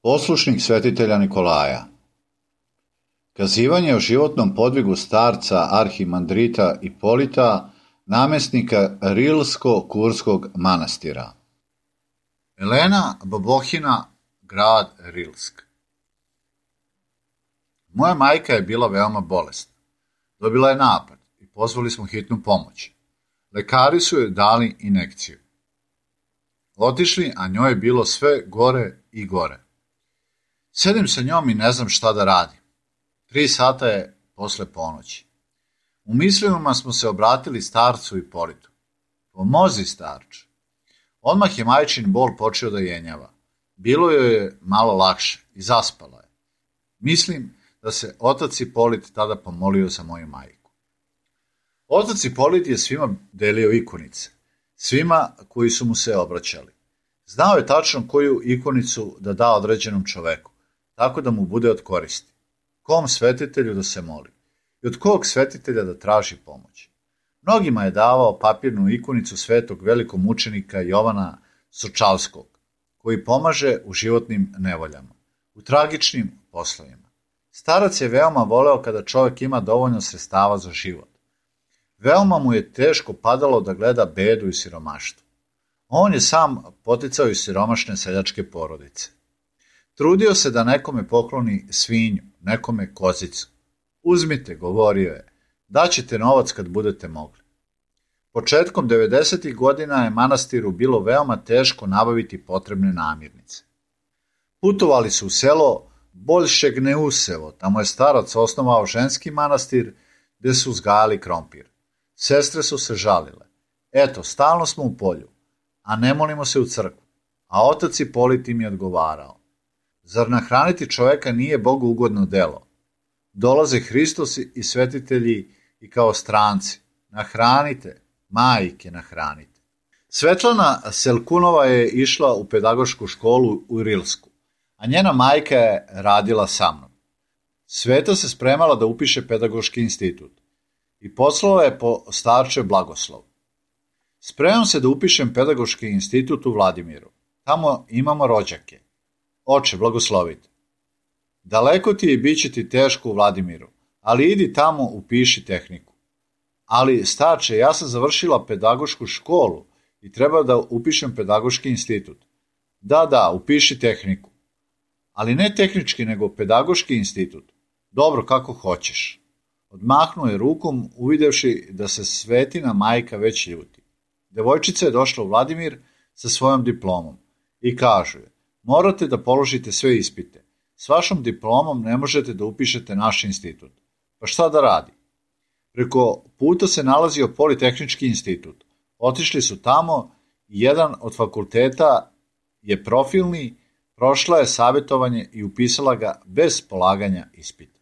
Poslušnik svetitelja Nikolaja. Kazivanje o životnom podvigu starca arhimandrita Ipolita, namjesnika Rilsko-Kurskog manastira. Elena Bobohina, grad Rilsk. Moja majka je bila veoma bolesna. Dobila je napad i pozvali smo hitnu pomoć. Lekari su joj dali injekciju. Otišli, a njoj je bilo sve gore i gore. Sedim sa njom i ne znam šta da radim. 3 sata je posle ponoći. U mislima smo se obratili starcu Ipolitu. Pomozi, starče. Odmah je majčin bol počeo da jenjava. Bilo joj je malo lakše i zaspala je. Mislim da se otac Ipolit tada pomolio za moju majku. Otac Ipolit je svima delio ikonice. Svima koji su mu se obraćali. Znao je tačno koju ikonicu da da određenom čoveku, tako da mu bude od koristi. Kom svetitelju da se moli i od kog svetitelja da traži pomoć. Mnogima je davao papirnu ikonicu svetog velikog mučenika Jovana Sočavskog, koji pomaže u životnim nevoljama, u tragičnim poslovima. Starac je veoma voleo kada čovjek ima dovoljno sredstava za život. Veoma mu je teško padalo da gleda bedu i siromaštvo. On je sam poticao iz siromašne seljačke porodice. Trudio se da nekome pokloni svinju, nekome kozicu. Uzmite, govorio je, daćete novac kad budete mogli. Početkom 90. godina je manastiru bilo veoma teško nabaviti potrebne namirnice. Putovali su u selo Boljšegneusevo, tamo je starac osnovao ženski manastir gde su uzgajali krompir. Sestre su se žalile. Eto, stalno smo u polju, a ne molimo se u crkvu. A otac Ipolit im je odgovarao. Zar nahraniti čoveka nije Bogu ugodno delo? Dolaze Hristos i svetitelji i kao stranci. Nahranite, majke nahranite. Svetlana Selkunova je išla u pedagošku školu u Rilsku, a njena majka je radila sa mnom. Sveta se spremala da upiše pedagoški institut i poslala je po starčev blagoslov. Spremam se da upišem pedagoški institut u Vladimiru. Tamo imamo rođake. Oče, blagoslovite. Daleko ti je i bit će ti teško u Vladimiru, ali idi tamo upiši tehniku. Ali, starče, ja sam završila pedagošku školu i treba da upišem pedagoški institut. Da, upiši tehniku. Ali ne tehnički, nego pedagoški institut. Dobro, kako hoćeš. Odmahnuo je rukom, uvidevši da se Svetina majka već ljuti. Devojčica je došla u Vladimir sa svojom diplomom i kažu je: morate da položite sve ispite. S vašom diplomom ne možete da upišete naš institut. Pa šta da radi? Preko puta se nalazio Politehnički institut. Otišli su tamo i jedan od fakulteta je profilni, prošla je savjetovanje i upisala ga bez polaganja ispita.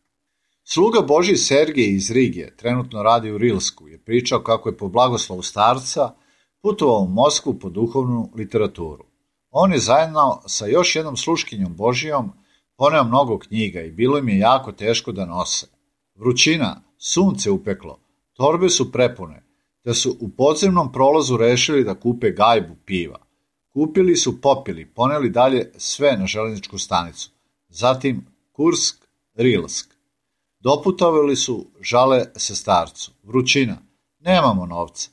Sluga Božji Sergej iz Rige, trenutno radi u Rilsku, je pričao kako je po blagoslovu starca putovao u Moskvu po duhovnu literaturu. On je zajedno sa još jednom sluškinjom Božijom poneo mnogo knjiga i bilo im je jako teško da nose. Vrućina, sunce upeklo, torbe su prepune, te su u podzemnom prolazu rešili da kupe gajbu piva. Kupili su, popili, poneli dalje sve na železničku stanicu, zatim Kursk, Rilsk. Doputovali su, žale se starcu. Vrućina, nemamo novca.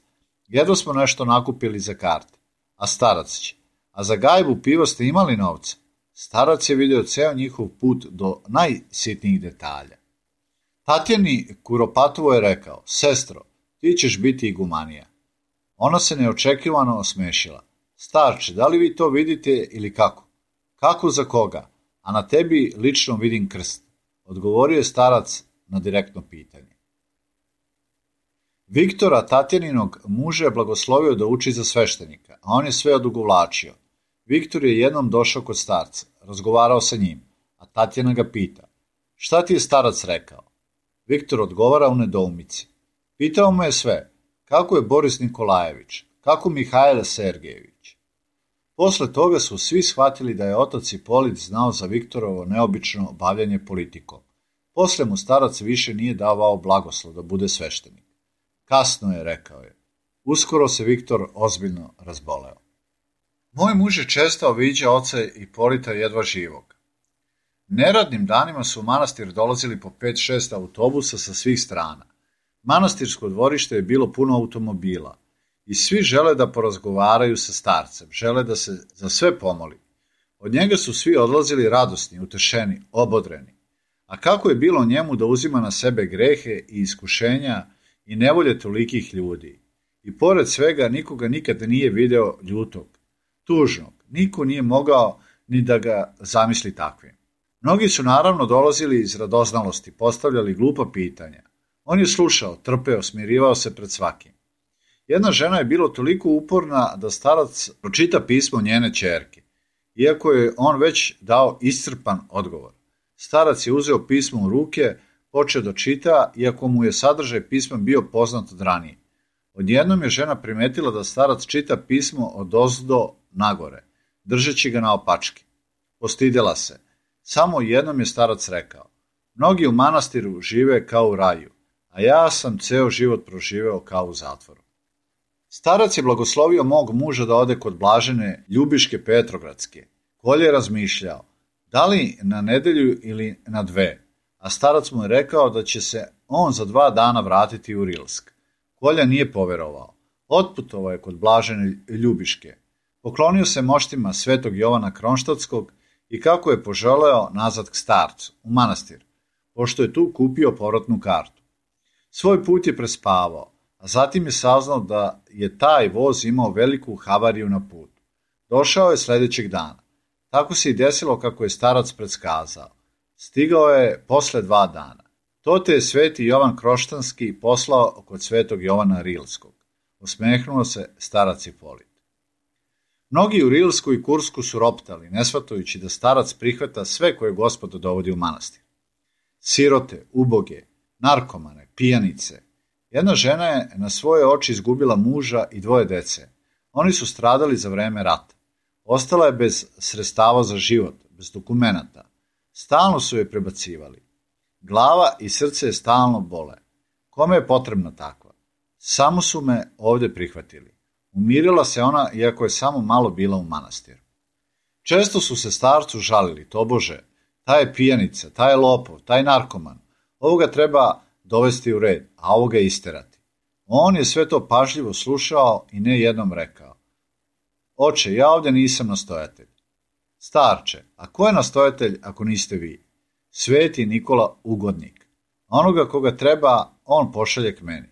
Jedva smo nešto nakupili za karte. A starac će. A za gajbu piva ste imali novca? Starac je video ceo njihov put do najsitnijih detalja. Tatjani Kuropatovo je rekao: sestro, ti ćeš biti igumanija. Ona se neočekivano osmešila. Starče, da li vi to vidite ili kako? Kako za koga? A na tebi lično vidim krst, odgovorio je starac na direktno pitanje. Viktora, Tatjaninog muža, je blagoslovio da uči za sveštenika, a on je sve odugovlačio. Viktor je jednom došao kod starca, razgovarao sa njim, a Tatjana ga pita: šta ti je starac rekao? Viktor odgovara u nedoumici. Pitao mu je sve, kako je Boris Nikolajević, kako Mihajlo Sergejević. Posle toga su svi shvatili da je otac Ipolit znao za Viktorovo neobično bavljanje politikom. Posle mu starac više nije davao blagoslov da bude sveštenik. Kasno je, rekao je. Uskoro se Viktor ozbiljno razboleo. Moj muž je često viđao oca Ipolita jedva živog. Neradnim danima su u manastir dolazili po 5-6 autobusa sa svih strana. Manastirsko dvorište je bilo puno automobila i svi žele da porazgovaraju sa starcem, žele da se za sve pomoli. Od njega su svi odlazili radosni, utešeni, obodreni. A kako je bilo njemu da uzima na sebe grehe i iskušenja i nevolje tolikih ljudi. I pored svega nikoga nikad nije video ljutog, tužnog, niko nije mogao ni da ga zamisli takvim. Mnogi su naravno dolazili iz radoznalosti, postavljali glupa pitanja. On je slušao, trpeo, smirivao se pred svakim. Jedna žena je bilo toliko uporna da starac pročita pismo njene ćerke, iako je on već dao iscrpan odgovor. Starac je uzeo pismo u ruke, počeo da čita, iako mu je sadržaj pisma bio poznat od ranije. Odjednom je žena primetila da starac čita pismo odozdo nagore, držeći ga naopačke. Postidela se. Samo jednom je starac rekao: mnogi u manastiru žive kao u raju, a ja sam ceo život proživeo kao u zatvoru. Starac je blagoslovio mog muža da ode kod blažene Ljubiške Petrogradske. Kolje je razmišljao, da li na nedelju ili na 2, a starac mu je rekao da će se on za 2 dana vratiti u Rilsk. Kolja nije poverovao. Otputovao je kod blažene Ljubiške. Poklonio se moštima svetog Jovana Kronštatskog i kako je poželeo nazad k starcu, u manastir, pošto je tu kupio povratnu kartu. Svoj put je prespavao, a zatim je saznao da je taj voz imao veliku havariju na putu. Došao je sledećeg dana. Tako se i desilo kako je starac predskazao. Stigao je posle 2 dana. To te je sveti Jovan Kroštanski poslao kod svetog Jovana Rilskog. Osmehnuo se starac Ipolit. Mnogi u Rilsku i Kursku su roptali, ne shvatajući da starac prihvata sve koje Gospod dovodi u manastir. Sirote, uboge, narkomane, pijanice. Jedna žena je na svoje oči izgubila muža i 2 dece. Oni su stradali za vreme rata. Ostala je bez sredstava za život, bez dokumenata. Stalno su je prebacivali. Glava i srce je stalno bole. Kome je potrebna takva? Samo su me ovde prihvatili. Umirila se ona, iako je samo malo bila u manastiru. Često su se starcu žalili, tobože, taj je pijanica, taj je lopov, taj narkoman. Ovoga treba dovesti u red, a ovoga isterati. On je sve to pažljivo slušao i ne jednom rekao: Oče, ja ovdje nisam nastojatelj. Starče, a ko je nastojatelj ako niste vi? Sveti Nikola Ugodnik. Onoga koga treba, on pošalje k meni.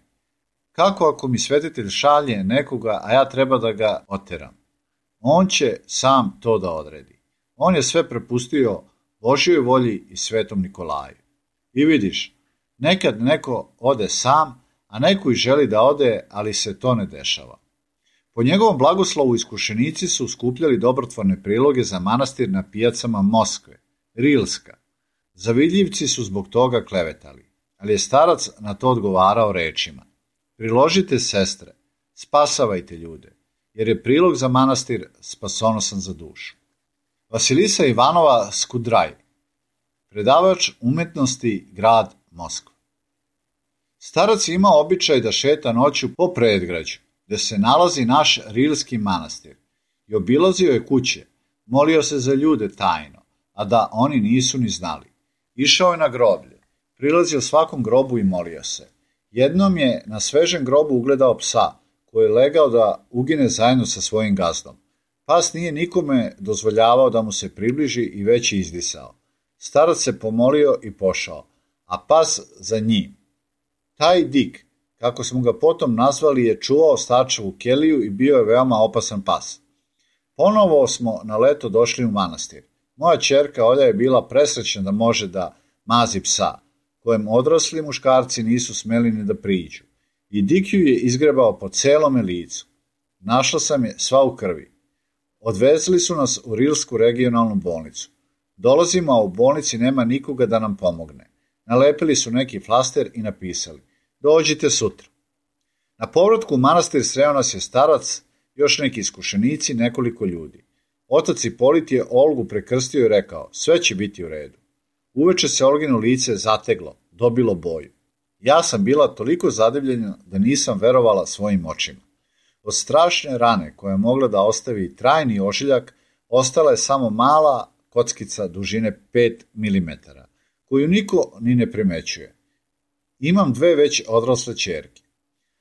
Kako ako mi svetitelj šalje nekoga, a ja treba da ga oteram? On će sam to da odredi. On je sve prepustio Božjoj volji i svetom Nikolaju. I vidiš, nekad neko ode sam, a neko i želi da ode, ali se to ne dešava. Po njegovom blagoslovu iskušenici su skupljali dobrotvorne priloge za manastir na pijacama Moskve, Rilska. Zavidljivci su zbog toga klevetali, ali je starac na to odgovarao rečima: Priložite, sestre, spasavajte ljude, jer je prilog za manastir spasonosan za dušu. Vasilisa Ivanova Skudraj, predavač umetnosti, grad Moskva. Starac je imao običaj da šeta noću po predgrađu, gde se nalazi naš Rilski manastir, i obilazio je kuće, molio se za ljude tajno, a da oni nisu ni znali. Išao je na groblje, prilazio svakom grobu i molio se. Jednom je na svežem grobu ugledao psa, koji je legao da ugine zajedno sa svojim gazdom. Pas nije nikome dozvoljavao da mu se približi i već je izdisao. Starac se pomolio i pošao, a pas za njim. Taj Dik, kako smo ga potom nazvali, je čuvao starčevu keliju i bio je veoma opasan pas. Ponovo smo na leto došli u manastir. Moja ćerka Olja je bila presrećna da može da mazi psa, kojem odrasli muškarci nisu smeli ni da priđu. I Dik ju je izgrebao po celome licu. Našla sam je sva u krvi. Odvezli su nas u Rilsku regionalnu bolnicu. Dolazimo, a u bolnici nema nikoga da nam pomogne. Nalepili su neki flaster i napisali: Dođite sutra. Na povratku u manastir sreo nas je starac, još neki iskušenici, nekoliko ljudi. Otac Ipolit je Olgu prekrstio i rekao: Sve će biti u redu. Uveče se Olgino lice zateglo, dobilo boju. Ja sam bila toliko zadivljena da nisam verovala svojim očima. Od strašne rane koja je mogla da ostavi trajni ožiljak, ostala je samo mala kockica dužine 5 mm, koju niko ni ne primećuje. Imam 2 već odrasle ćerke.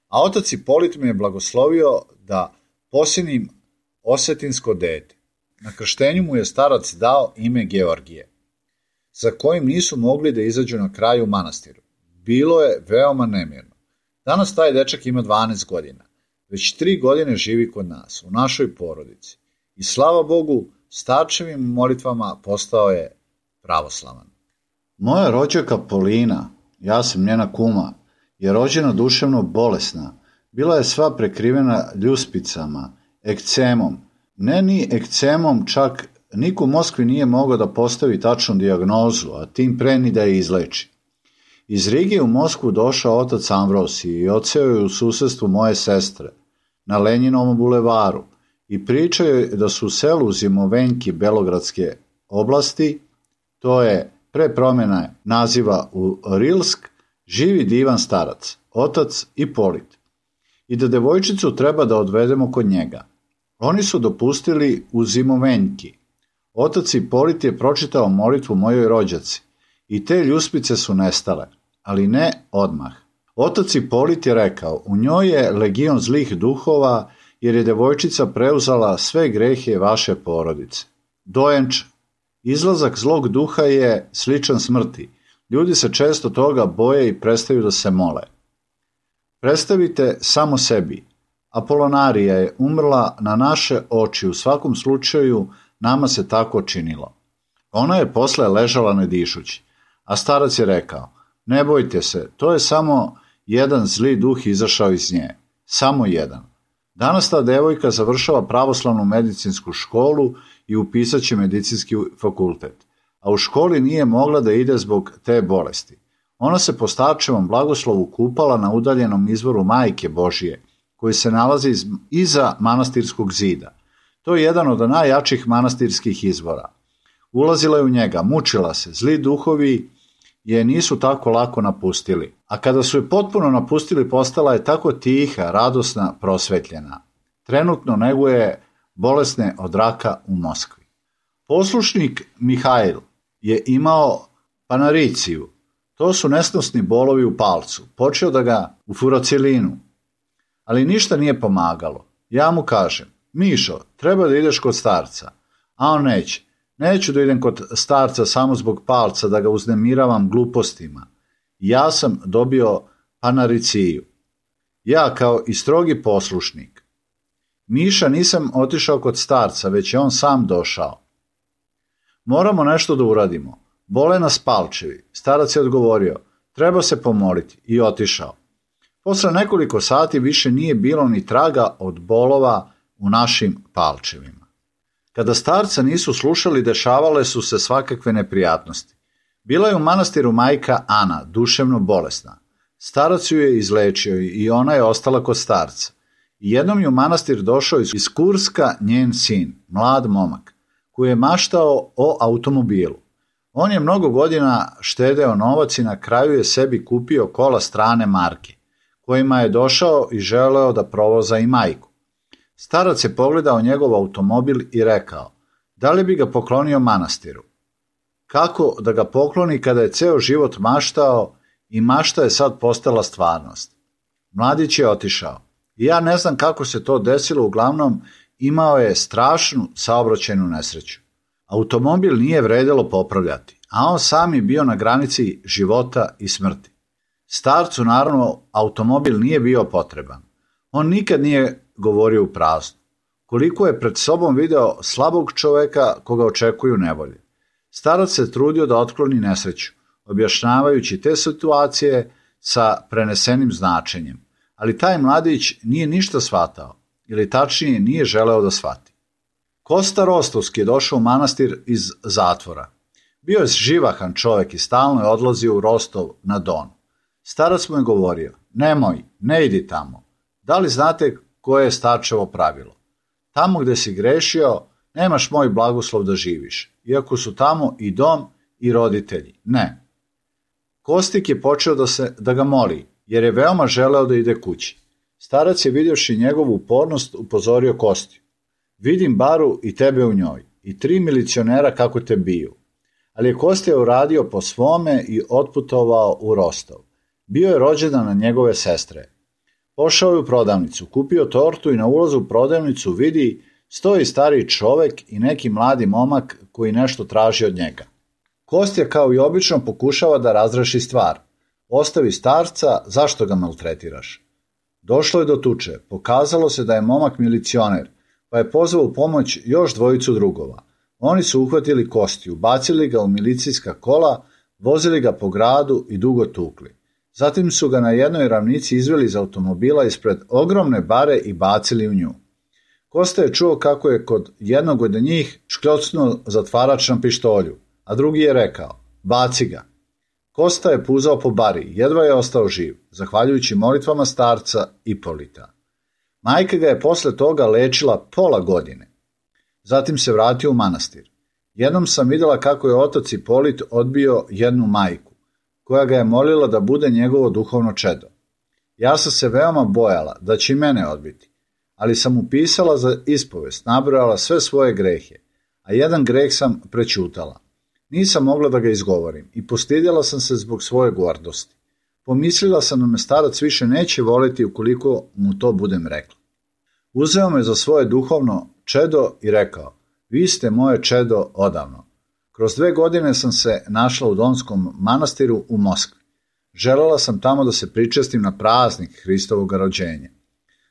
A otac Ipolit me je blagoslovio da posinim osetinsko dete. Na krštenju mu je starac dao ime Georgije, za kojim nisu mogli da izađu na kraju u manastiru. Bilo je veoma nemirno. Danas taj dečak ima 12 godina. Već 3 godine živi kod nas, u našoj porodici. I slava Bogu, starčevim molitvama postao je pravoslavan. Moja rođaka Polina, ja sam njena kuma, je rođena duševno bolesna. Bila je sva prekrivena ljuspicama, ekcemom. Ne ni ekcemom, čak niko u Moskvi nije mogao da postavi tačnu dijagnozu, a tim pre ni da je izleči. Iz Rige u Moskvu došao otac Amvrosij i odseo je u susedstvu moje sestre, na Lenjinovom bulevaru, i pričao je da su u selu Zimovenjki Belogradske oblasti, to je pre promjene naziva u Rilsk, živi divan starac, otac Ipolit, i da devojčicu treba da odvedemo kod njega. Oni su dopustili u Zimovenjki. Otac Ipolit je pročitao molitvu mojoj rođaci i te ljuspice su nestale, ali ne odmah. Otac Ipolit je rekao: U njoj je legion zlih duhova, jer je devojčica preuzela sve grehe vaše porodice. Dojenč, izlazak zlog duha je sličan smrti. Ljudi se često toga boje i prestaju da se mole. Predstavite samo sebi. Apolonarija je umrla na naše oči, u svakom slučaju nama se tako činilo. Ona je posle ležala nedišući, a starac je rekao: Ne bojte se, to je samo jedan zli duh izašao iz nje. Samo jedan. Danas ta devojka završava pravoslavnu medicinsku školu i upisat će medicinski fakultet, a u školi nije mogla da ide zbog te bolesti. Ona se po starčevom blagoslovu kupala na udaljenom izvoru Majke Božije, koji se nalazi iza manastirskog zida. To je jedan od najjačih manastirskih izvora. Ulazila je u njega, mučila se, zli duhovi je nisu tako lako napustili, a kada su je potpuno napustili postala je tako tiha, radosna, prosvetljena. Trenutno neguje bolesne od raka u Moskvi. Poslušnik Mihajl je imao panariciju. To su nesnosni bolovi u palcu. Počeo da ga u furocilinu. Ali ništa nije pomagalo. Ja mu kažem, Mišo, treba da ideš kod starca. A on neće. Neću da idem kod starca samo zbog palca, da ga uznemiravam glupostima. Ja sam dobio panariciju. Ja kao i strogi poslušnik. Miša, nisam otišao kod starca, već je on sam došao. Moramo nešto da uradimo. Bole nas palčevi. Starac je odgovorio, treba se pomoliti, i otišao. Posle nekoliko sati više nije bilo ni traga od bolova u našim palčevima. Kada starca nisu slušali, dešavale su se svakakve neprijatnosti. Bila je u manastiru majka Ana, duševno bolesna. Starac ju je izlečio i ona je ostala kod starca. I jednom je u manastir došao iz Kurska njen sin, mlad momak, koji je maštao o automobilu. On je mnogo godina štedeo novac i na kraju je sebi kupio kola strane marke, kojima je došao i želeo da provoza i majku. Starac je pogledao njegov automobil i rekao, da li bi ga poklonio manastiru? Kako da ga pokloni kada je ceo život maštao i mašta je sad postala stvarnost? Mladić je otišao. I ja ne znam kako se to desilo, uglavnom imao je strašnu saobraćajnu nesreću. Automobil nije vredelo popravljati, a on sam je bio na granici života i smrti. Starcu naravno automobil nije bio potreban. On nikad nije govorio u prazno. Koliko je pred sobom video slabog čoveka koga očekuju nevolje. Starac se trudio da otkloni nesreću, objašnjavajući te situacije sa prenesenim značenjem, ali taj mladić nije ništa shvatao, ili tačnije nije želeo da shvati. Kosta Rostovski je došao u manastir iz zatvora. Bio je živahan čovek i stalno je odlazio u Rostov na Don. Starac mu je govorio, nemoj, ne idi tamo. Da li znate koje je starčevo pravilo? Tamo gde si grešio, nemaš moj blagoslov da živiš, iako su tamo i dom i roditelji. Ne. Kostik je počeo da ga moli, jer je veoma želeo da ide kući. Starac je vidjevši njegovu upornost upozorio Kostiju. Vidim baru i tebe u njoj, i 3 milicionera kako te biju. Ali je Kostija uradio po svome i otputovao u Rostov. Bio je rođendan na njegove sestre. Pošao je u prodavnicu, kupio tortu i na ulazu u prodavnicu vidi stoji stariji čovek i neki mladi momak koji nešto traži od njega. Kostja kao i obično pokušava da razreši stvar. Ostavi starca, zašto ga maltretiraš? Došlo je do tuče, pokazalo se da je momak milicioner, pa je pozvao u pomoć još 2 drugova. Oni su uhvatili Kostiju, bacili ga u milicijska kola, vozili ga po gradu i dugo tukli. Zatim su ga na jednoj ravnici izveli iz automobila ispred ogromne bare i bacili u nju. Kosta je čuo kako je kod jednog od njih škljocnuo zatvarač na pištolju, a drugi je rekao, baci ga. Kosta je puzao po bari, jedva je ostao živ, zahvaljujući molitvama starca Ipolita. Majka ga je posle toga lečila pola godine. Zatim se vratio u manastir. Jednom sam vidjela kako je otac Ipolit odbio jednu majku, koja ga je molila da bude njegovo duhovno čedo. Ja sam se veoma bojala da će i mene odbiti, ali sam mu pisala za ispovest, nabrojala sve svoje grehe, a jedan greh sam prećutala. Nisam mogla da ga izgovorim i postidjela sam se zbog svoje gordosti. Pomislila sam da me starac više neće voliti ukoliko mu to budem rekla. Uzeo me za svoje duhovno čedo i rekao, vi ste moje čedo odavno. Kroz 2 godine sam se našla u Donskom manastiru u Moskvi. Želela sam tamo da se pričestim na praznik Hristovog rođenja.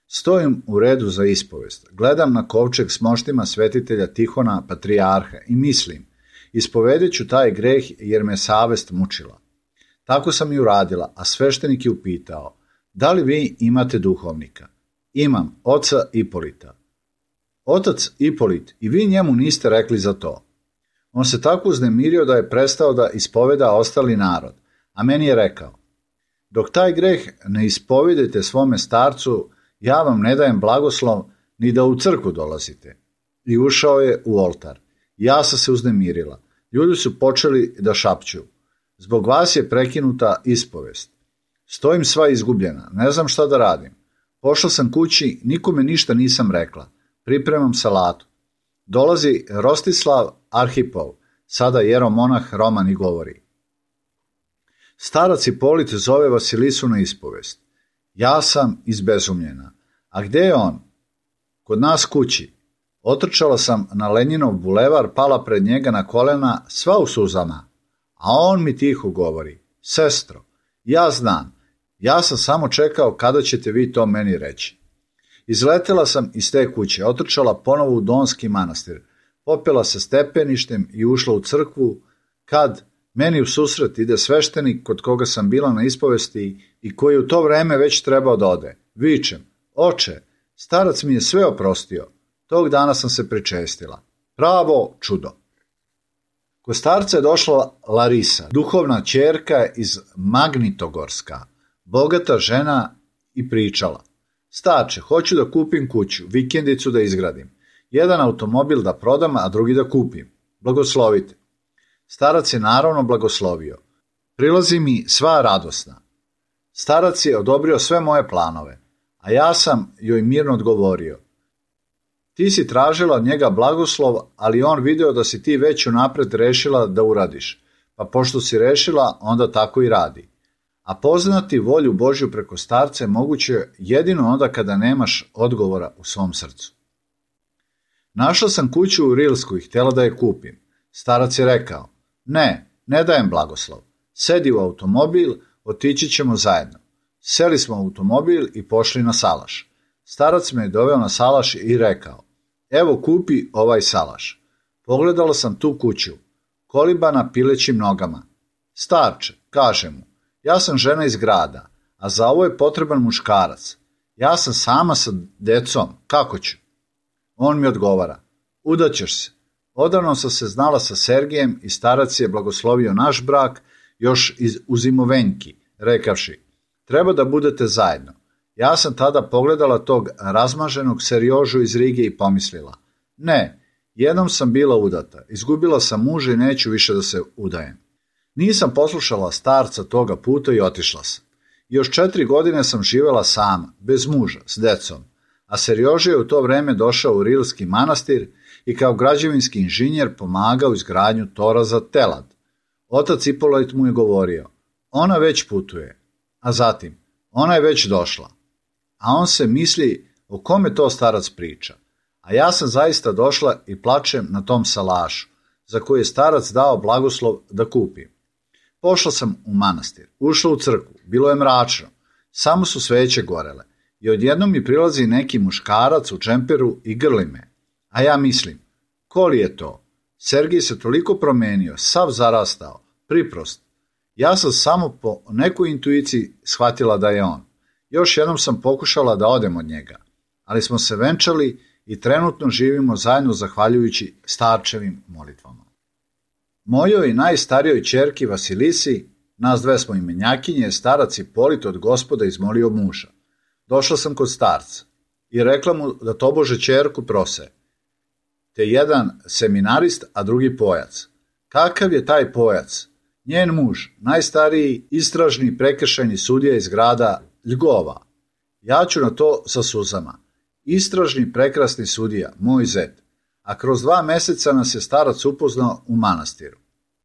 Stojim u redu za ispovest, gledam na kovčeg s moštima svetitelja Tihona, patrijarha i mislim, ispovedit ću taj greh jer me savest mučila. Tako sam i uradila, a sveštenik je upitao, da li vi imate duhovnika? Imam, oca Ipolita. Otac Ipolit, i vi njemu niste rekli za to. On se tako uznemirio da je prestao da ispoveda ostali narod, a meni je rekao, dok taj greh ne ispovedete svome starcu, ja vam ne dajem blagoslov ni da u crkvu dolazite. I ušao je u oltar. Ja sam se uznemirila. Ljudi su počeli da šapću. Zbog vas je prekinuta ispovest. Stojim sva izgubljena, ne znam šta da radim. Pošla sam kući, nikome ništa nisam rekla. Pripremam salatu. Dolazi Rostislav Arhipov, sada jeromonah Roman i govori. Starac Ipolit zove Vasilisu na ispovest. Ja sam izbezumljena. A gde je on? Kod nas kući. Otrčala sam na Lenjinov bulevar, pala pred njega na kolena, sva u suzama. A on mi tiho govori. Sestro, ja znam. Ja sam samo čekao kada ćete vi to meni reći. Izletela sam iz te kuće, otrčala ponovo u Donski manastir, popela se stepeništem i ušla u crkvu, kad meni u susret ide sveštenik kod koga sam bila na ispovesti i koji u to vreme već trebao da ode. Vičem, oče, starac mi je sve oprostio. Tog dana sam se pričestila. Pravo čudo. Kod starca je došla Larisa, duhovna ćerka iz Magnitogorska, bogata žena, i pričala. Starče, hoću da kupim kuću, vikendicu da izgradim. Jedan automobil da prodam, a drugi da kupim. Blagoslovite. Starac je naravno blagoslovio. Prilazi mi sva radosna. Starac je odobrio sve moje planove, a ja sam joj mirno odgovorio. Ti si tražila od njega blagoslov, ali on video da si ti već unapred rešila da uradiš, pa pošto si rešila, onda tako i radi. A poznati volju Božju preko starca je moguće jedino onda kada nemaš odgovora u svom srcu. Našla sam kuću u Rilsku i htjela da je kupim. Starac je rekao, ne dajem blagoslov. Sedi u automobil, otići ćemo zajedno. Seli smo u automobil i pošli na salaš. Starac me je doveo na salaš i rekao, evo kupi ovaj salaš. Pogledala sam tu kuću, kolibana pilećim nogama. Starče, kaže mu, ja sam žena iz grada, a za ovo je potreban muškarac. Ja sam sama sa decom, kako ću? On mi odgovara, udaćeš se. Odavno sam se znala sa Sergijem i starac je blagoslovio naš brak još u zimovenjki, rekavši, treba da budete zajedno. Ja sam tada pogledala tog razmaženog Serjožu iz Rige i pomislila, ne, jednom sam bila udata, izgubila sam muža i neću više da se udajem. Nisam poslušala starca toga puta i otišla sam. Još 4 godine sam živjela sama, bez muža, s decom, a Serjoža je u to vreme došao u Rilski manastir i kao građevinski inženjer pomagao u izgradnju tora za telad. Otac Ipolit mu je govorio, ona već putuje, a zatim, ona je već došla. A on se misli, o kome to starac priča. A ja sam zaista došla i plačem na tom salašu, za koji je starac dao blagoslov da kupim. Pošla sam u manastir, ušla u crkvu, bilo je mračno, samo su sveće gorele i odjednom mi prilazi neki muškarac u džemperu i grli me. A ja mislim, ko li je to? Sergij se toliko promenio, sav zarastao, priprost. Ja sam samo po nekoj intuiciji shvatila da je on. Još jednom sam pokušala da odem od njega, ali smo se venčali i trenutno živimo zajedno zahvaljujući starčevim molitvama. Mojoj najstarijoj ćerki Vasilisi, nas dve smo imenjakinje, starac Ipolit od Gospoda izmolio muža. Došla sam kod starca i rekla mu da tobože ćerku prose, te jedan seminarist, a drugi pojac. Kakav je taj pojac? Njen muž, najstariji istražni prekršajni sudija iz grada Ljgova. Ja ću na to sa suzama. Istražni prekrasni sudija, moj zet. A kroz 2 meseca nas je starac upoznao u manastiru.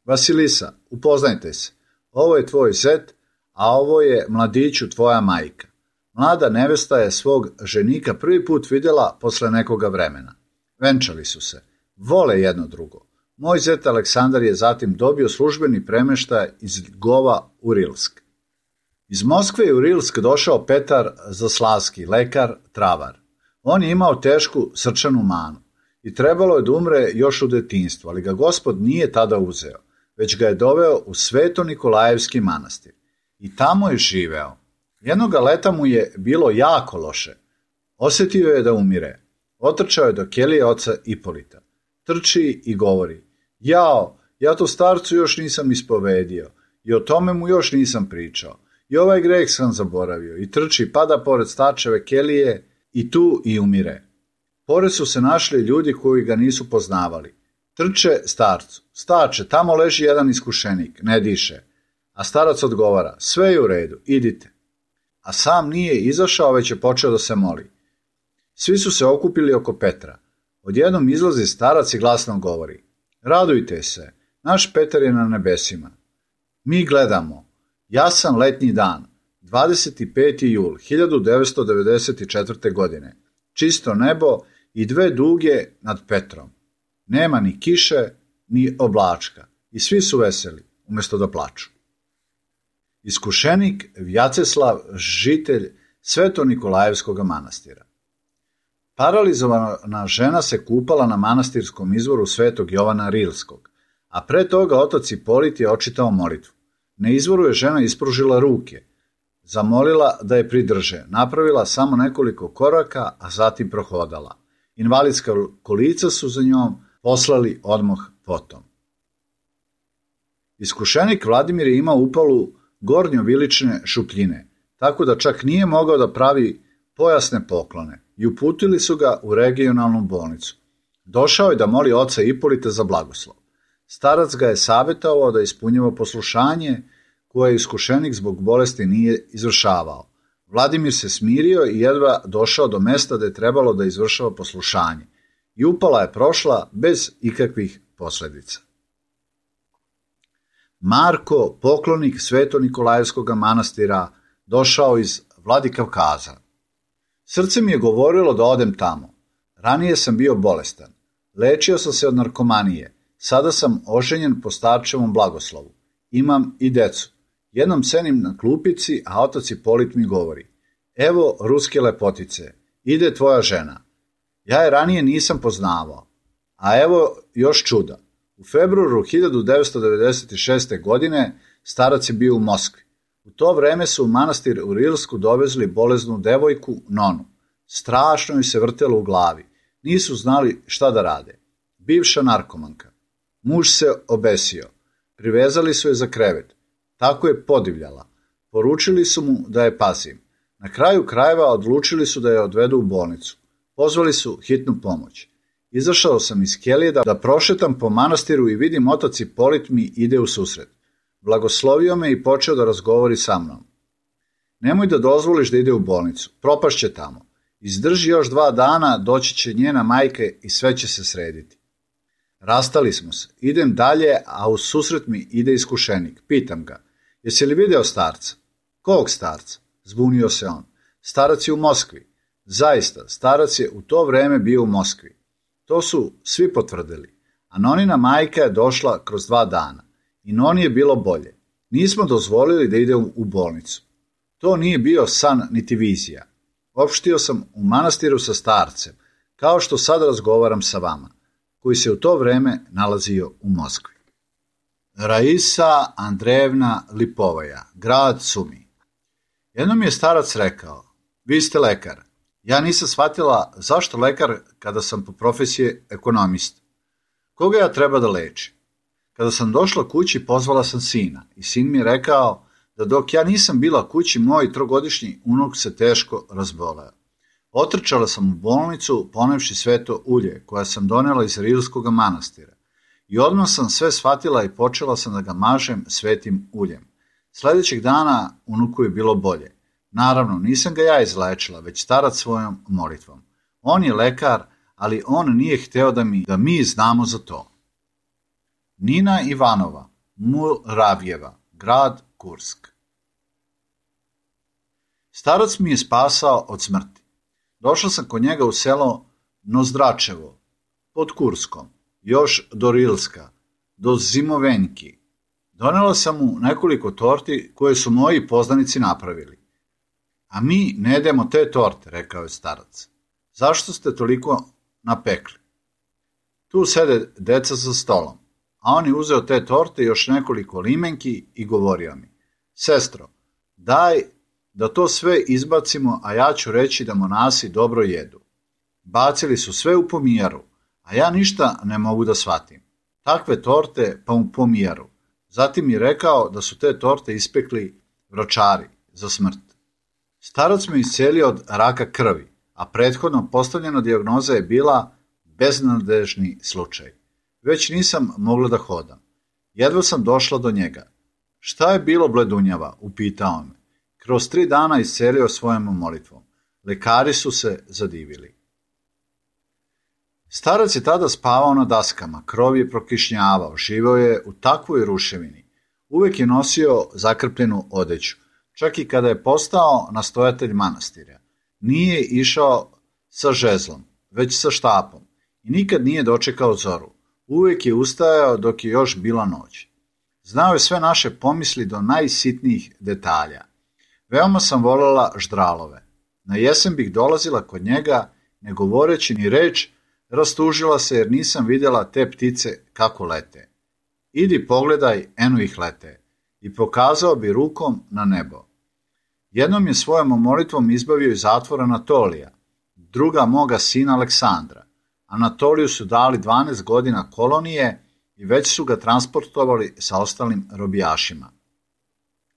Vasilisa, upoznajte se. Ovo je tvoj zet, a ovo je mladiću tvoja majka. Mlada nevesta je svog ženika prvi put vidjela posle nekoga vremena. Venčali su se. Vole jedno drugo. Moj zet Aleksandar je zatim dobio službeni premeštaj iz Ljgova u Rilsk. Iz Moskve je u Rilsk došao Petar Zaslavski, lekar, travar. On je imao tešku srčanu manu i trebalo je da umre još u detinjstvu, ali ga Gospod nije tada uzeo, već ga je doveo u Sveto Nikolajevski manastir. I tamo je živeo. Jednoga leta mu je bilo jako loše. Osjetio je da umire. Otrčao je do kelije oca Ipolita. Trči i govori, jao, ja to starcu još nisam ispovedio i o tome mu još nisam pričao. I ovaj greh sam zaboravio i trči, pada pored starčeve kelije i tu i umire. Pored su se našli ljudi koji ga nisu poznavali. Trče starcu, starče, tamo leži jedan iskušenik, ne diše. A starac odgovara, sve je u redu, idite. A sam nije izašao, već je počeo da se moli. Svi su se okupili oko Petra. Odjednom izlazi starac i glasno govori, radujte se, Naš Petar je na nebesima. Mi gledamo. Jasan letnji dan, 25. jul 1994. godine. Čisto nebo i dve duge nad Petrom. Nema ni kiše, ni oblačka. I svi su veseli, umjesto da plaču. Iskušenik Vjaceslav, žitelj Sveto-Nikolajevskog manastira. Paralizovana žena se kupala na manastirskom izvoru Svetog Jovana Rilskog, a pre toga otac Ipolit je očitao molitvu. Na izvoru je žena ispružila ruke, zamolila da je pridrže, napravila samo nekoliko koraka, a zatim prohodala. Invalidska kolica su za njom poslali odmah potom. Iskušenik Vladimir je imao upalu gornjovilične šupljine, tako da čak nije mogao da pravi pojasne poklone i uputili su ga u regionalnu bolnicu. Došao je da moli oca Ipolita za blagoslov. Starac ga je savjetovao da ispunjava poslušanje koje iskušenik zbog bolesti nije izvršavao. Vladimir se smirio i jedva došao do mesta da je trebalo da izvršava poslušanje i upala je prošla bez ikakvih posljedica. Marko, poklonik Sveto-Nikolajevskog manastira, došao iz Vladikavkaza. Srce mi je govorilo da odem tamo. Ranije sam bio bolestan. Lečio sam se od narkomanije. Sada sam oženjen po starčevom blagoslovu. Imam i decu. Jednom sedim na klupici, a otac Ipolit mi govori: evo ruske lepotice, ide tvoja žena. Ja je ranije nisam poznavao. A evo još čuda. U februaru 1996. godine starac je bio u Moskvi. U to vreme su u manastir u Rilsku dovezli bolesnu devojku Nonu. Strašno joj se vrtelo u glavi. Nisu znali šta da rade. Bivša narkomanka. Muž se obesio. Privezali su je za krevet. Tako je podivljala. Poručili su mu da je pazim. Na kraju krajeva odlučili su da je odvedu u bolnicu. Pozvali su hitnu pomoć. Izašao sam iz kelije da prošetam po manastiru i vidim otac Ipolit mi ide u susret. Blagoslovio me i počeo da razgovori sa mnom. Nemoj da dozvoliš da ide u bolnicu. Propašće tamo. Izdrži još 2 dana, doći će njena majka i sve će se srediti. Rastali smo se. Idem dalje, a u susret mi ide iskušenik. Pitam ga: jesi li video starca? Kog starca? Zbunio se on. Starac je u Moskvi. Zaista, starac je u to vreme bio u Moskvi. To su svi potvrdili. A Nonina majka je došla kroz 2 dana. I Noni je bilo bolje. Nismo dozvolili da ide u bolnicu. To nije bio san niti vizija. Opštio sam u manastiru sa starcem, kao što sad razgovaram sa vama, koji se u to vreme nalazio u Moskvi. Raisa Andrejevna Lipovaja, grad Sumi. Jednom je starac rekao: vi ste lekar. Ja nisam shvatila zašto lekar kada sam po profesiji ekonomist. Koga ja treba da lečim? Kada sam došla kući, pozvala sam sina i sin mi je rekao da dok ja nisam bila kući, moj 3-godišnji unuk se teško razboleo. Otrčala sam u bolnicu, ponevši sveto ulje koje sam donela iz Rilskog manastira. I odmah sam sve shvatila i počela sam da ga mažem svetim uljem. Sljedećeg dana unuku je bilo bolje. Naravno, nisam ga ja izlečila, već starac svojom molitvom. On je lekar, ali on nije hteo da mi znamo za to. Nina Ivanova, Muravjeva, grad Kursk. Starac mi je spasao od smrti. Došla sam kod njega u selo Nozdračevo, pod Kurskom, još do Rilska, do Zimovenjki. Donela sam mu nekoliko torti koje su moji poznanici napravili. A mi ne jedemo te torte, rekao je starac. Zašto ste toliko napekli? Tu sede deca za stolom, a on je uzeo te torte i još nekoliko limenki i govorio mi: sestro, daj da to sve izbacimo, a ja ću reći da monasi dobro jedu. Bacili su sve u pomijaru, a ja ništa ne mogu da shvatim. Takve torte pa u pomijaru. Zatim je rekao da su te torte ispekli vročari za smrt. Starac me iscelio od raka krvi, a prethodno postavljena dijagnoza je bila beznadežni slučaj. Već nisam mogla da hodam. Jedva sam došla do njega. Šta je bilo, bledunjava? Upitao me. Kroz 3 dana iscelio svojom molitvom. Lekari su se zadivili. Starac je tada spavao na daskama, krov je prokišnjavao, živeo je u takvoj ruševini. Uvek je nosio zakrpljenu odeću, čak i kada je postao nastojatelj manastira. Nije išao sa žezlom, već sa štapom i nikad nije dočekao zoru. Uvek je ustajao dok je još bila noć. Znao je sve naše pomisli do najsitnijih detalja. Veoma sam voljela ždralove. Na jesen bih dolazila kod njega, ne govoreći ni reč, rastužila se jer nisam vidjela te ptice kako lete. Idi pogledaj, eno ih lete. I pokazao bi rukom na nebo. Jednom je svojom molitvom izbavio iz zatvora Anatolija, druga moga sina Aleksandra. Anatoliju su dali 12 godina kolonije i već su ga transportovali sa ostalim robijašima.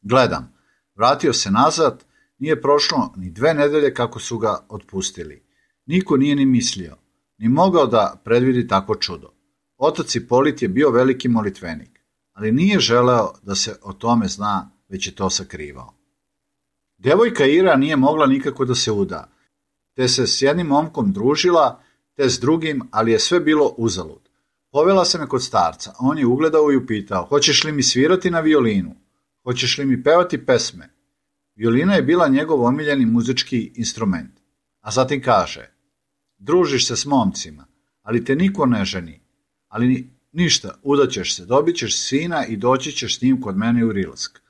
Gledam, vratio se nazad, nije prošlo ni 2 nedelje kako su ga otpustili. Niko nije ni mislio, ni mogao da predvidi takvo čudo. Otac Ipolit je bio veliki molitvenik, ali nije želeo da se o tome zna, već je to sakrivao. Devojka Ira nije mogla nikako da se uda, te se s jednim momkom družila, te s drugim, ali je sve bilo uzalud. Povela se me kod starca, on je ugledao i upitao, hoćeš li mi svirati na violinu? Hoćeš li mi pevati pesme? Violina je bila njegov omiljeni muzički instrument. A zatim kaže, družiš se s momcima, ali te niko ne ženi. Ali ništa, udaćeš se, dobit ćeš sina i doći ćeš s njim kod mene u Rilsk.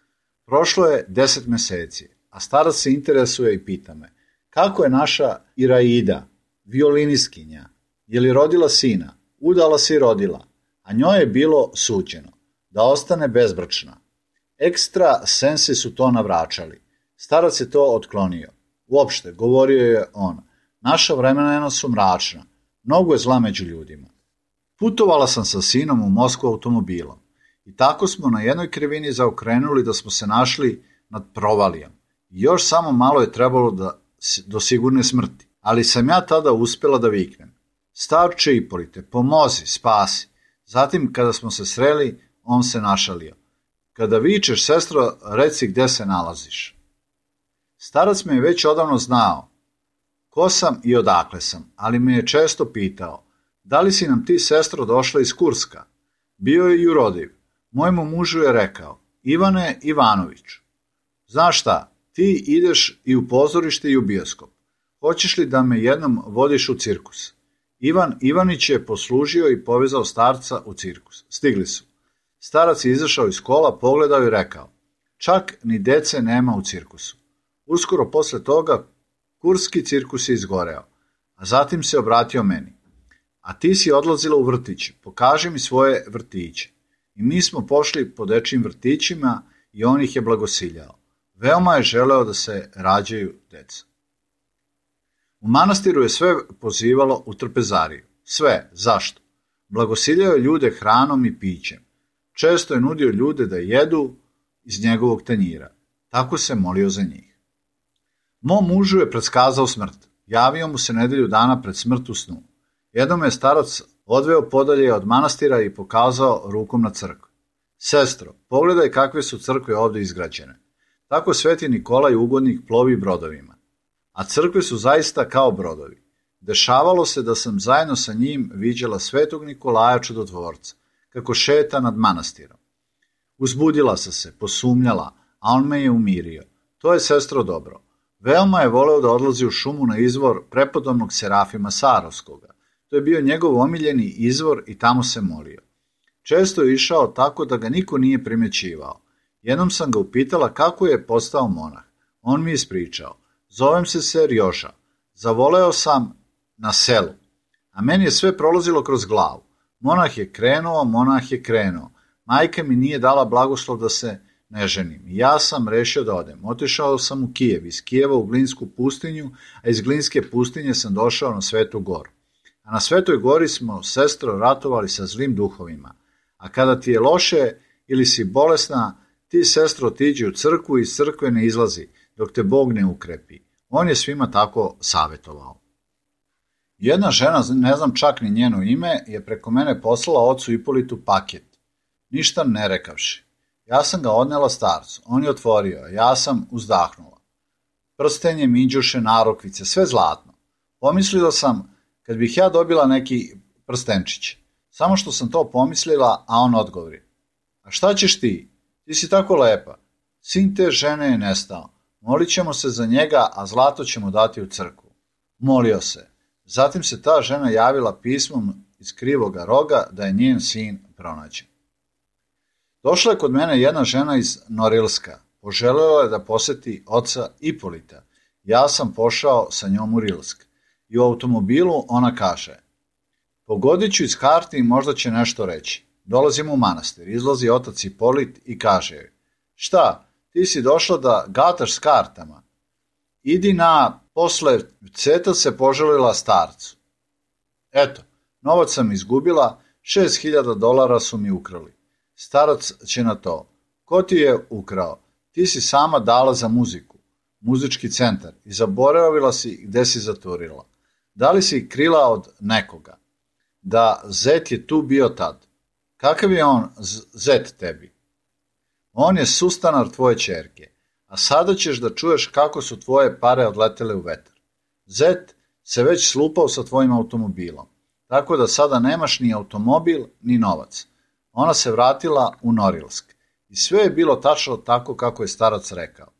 Prošlo je 10 meseci, a starac se interesuje i pita me, kako je naša Iraida, violiniskinja, je li rodila sina? Udala se i rodila, a njoj je bilo suđeno da ostane bezbračna. Ekstra sensi su to navračali. Starac je to otklonio. Uopšte, govorio je on, naša vremena su mračna, mnogo je zla među ljudima. Putovala sam sa sinom u Moskvu automobilom i tako smo na jednoj krivini zaokrenuli da smo se našli nad provalijom. I još samo malo je trebalo do sigurne smrti, ali sam ja tada uspjela da viknem. Starče Ipolite, pomozi, spasi. Zatim, kada smo se sreli, on se našalio. Kada vičeš, sestro, reci gde se nalaziš. Starac me je već odavno znao ko sam i odakle sam, ali me je često pitao, da li si nam ti, sestro, došla iz Kurska? Bio je jurodiv. Mojemu mužu je rekao, Ivane Ivanoviću, znaš šta, ti ideš i u pozorište i u bioskop. Hoćeš li da me jednom vodiš u cirkus? Ivan Ivanić je poslužio i povezao starca u cirkus. Stigli su. Starac je izašao iz kola, pogledao i rekao, čak ni dece nema u cirkusu. Uskoro posle toga kurski cirkus je izgoreo, a zatim se obratio meni. A ti si odlazila u vrtić, pokaži mi svoje vrtiće. I mi smo pošli po dečijim vrtićima i on ih je blagosiljao. Veoma je želeo da se rađaju deca. U manastiru je sve pozivalo u trpezariju. Sve, zašto? Blagosiljao je ljude hranom i pićem. Često je nudio ljude da jedu iz njegovog tanjira. Tako se molio za njih. Mom mužu je predskazao smrt. Javio mu se nedelju dana pred smrt u snu. Jednom je starac odveo podalje od manastira i pokazao rukom na crkvu. Sestro, pogledaj kakve su crkve ovdje izgrađene. Tako Sveti Nikolaj Ugodnik plovi brodovima. A crkve su zaista kao brodovi. Dešavalo se da sam zajedno sa njim viđala Svetog Nikolaja Čudotvorca, kako šeta nad manastirom. Uzbudila sam se, posumnjala, a on me je umirio. To je, sestro, dobro. Veoma je voleo da odlazi u šumu na izvor prepodobnog Serafima Sarovskoga. To je bio njegov omiljeni izvor i tamo se molio. Često je išao tako da ga niko nije primjećivao. Jednom sam ga upitala kako je postao monah. On mi je ispričao. Zovem se Ser Joža. Zavoleo sam na selu. A meni je sve prolazilo kroz glavu. Monah je krenuo. Majka mi nije dala blagoslov da se ne ženim. Ja sam rešio da odem. Otišao sam u Kijev, iz Kijeva u Glinsku pustinju, a iz Glinske pustinje sam došao na Svetu goru. A na Svetoj gori smo, sestro, ratovali sa zlim duhovima. A kada ti je loše ili si bolesna, ti, sestro, otiđi u crkvu i iz crkve ne izlazi, dok te Bog ne ukrepi. On je svima tako savjetovao. Jedna žena, ne znam čak ni njeno ime, je preko mene poslala ocu Ipolitu paket, ništa ne rekavši. Ja sam ga odnela starcu, on je otvorio, ja sam uzdahnula. Prstenje, minđuše, narukvice, sve zlatno. Pomislila sam, kad bih ja dobila neki prstenčić. Samo što sam to pomislila, a on odgovori. A šta ćeš ti? Ti si tako lepa. Sin te žene je nestao. Molit ćemo se za njega, a zlato ćemo dati u crkvu. Molio se. Zatim se ta žena javila pismom iz krivoga roga da je njen sin pronađen. Došla je kod mene jedna žena iz Norilska. Poželjela je da poseti oca Ipolita. Ja sam pošao sa njom u Rilsk. I u automobilu ona kaže: pogodit ću iz karti i možda će nešto reći. Dolazimo u manastir. Izlazi otac Ipolit i kaže joj: šta, ti si došla da gataš s kartama? Idi posle ceta se poželila starcu. Eto, novac sam izgubila, $6.000 su mi ukrali. Starac će na to: ko ti je ukrao? Ti si sama dala za muziku, muzički centar, i zaboravila si gde si zaturila. Da li si krila od nekoga? Da, zet je tu bio tad. Kakav je on zet tebi? On je sustanar tvoje ćerke, a sada ćeš da čuješ kako su tvoje pare odletele u vetar. Zet se već slupao sa tvojim automobilom, tako da sada nemaš ni automobil, ni novac. Ona se vratila u Norilsk i sve je bilo tačno tako kako je starac rekao.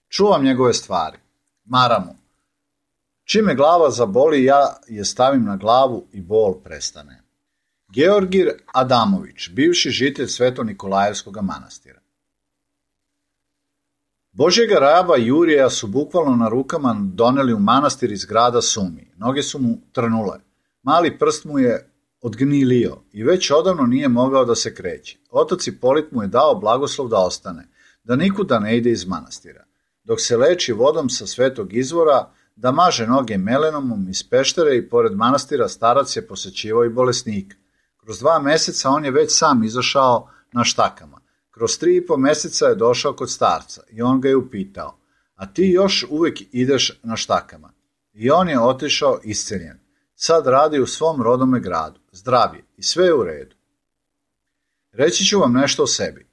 Čuvam njegove stvari. Maramu. Čim me glava zaboli, ja je stavim na glavu i bol prestane. Georgij Adamović, bivši žitelj Sveto-Nikolajevskog manastira. Božjega raba Jurija su bukvalno na rukama doneli u manastir iz grada Sumi. Noge su mu trnule. Mali prst mu je odgnilio i već odavno nije mogao da se kreće. Otac Ipolit mu je dao blagoslov da ostane, da nikuda ne ide iz manastira. Dok se leči vodom sa svetog izvora, da maže noge melenomom iz peštere i pored manastira starac je posećivao i bolesnika. Kroz 2 meseca on je već sam izašao na štakama. Kroz 3,5 meseca je došao kod starca i on ga je upitao: a ti još uvijek ideš na štakama? I on je otišao isceljen. Sad radi u svom rodome gradu, zdrav je i sve je u redu. Reći ću vam nešto o sebi.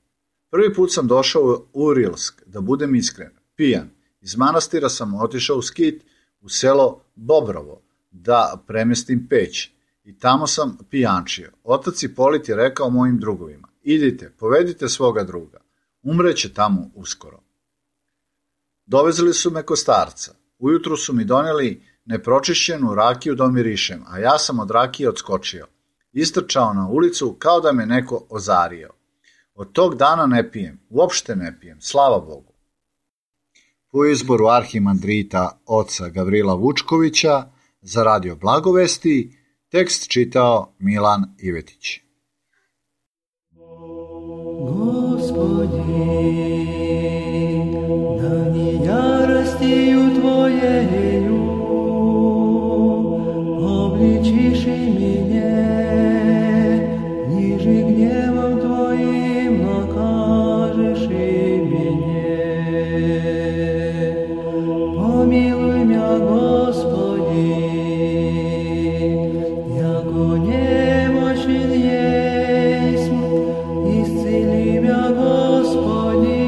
Prvi put sam došao u Rilsk, da budem iskren, pijan. Iz manastira sam otišao u skit u selo Bobrovo, da premestim peć. I tamo sam pijančio. Otac Ipolit je rekao mojim drugovima: idite, povedite svoga druga. Umreće tamo uskoro. Dovezli su me kod starca. Ujutru su mi donijeli nepročišćenu rakiju da mirišem, a ja sam od rakije odskočio. Istrčao na ulicu kao da me neko ozario. Od tog dana ne pijem, uopšte ne pijem, slava Bogu. Po izboru arhimandrita oca Gavrila Vučkovića za Radio Blagovesti, tekst čitao Milan Ivetić. Господи, да не яростью Твоею обличишь и меня, ниже гневом Твоим накажешь и меня. Помилуй меня, Господи, яко немощен есть, исцели меня, Господи,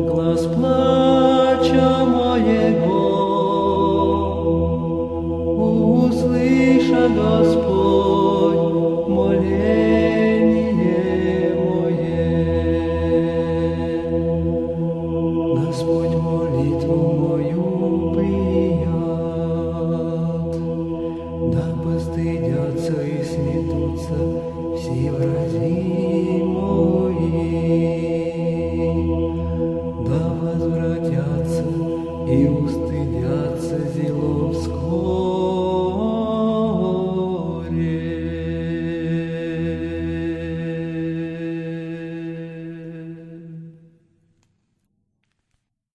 глаз плача моего услыша, Господь, моление мое. Господь молитву мою прият, да постыдятся и сметутся все врази мои, да возвратятся и устыдятся зелом скорби.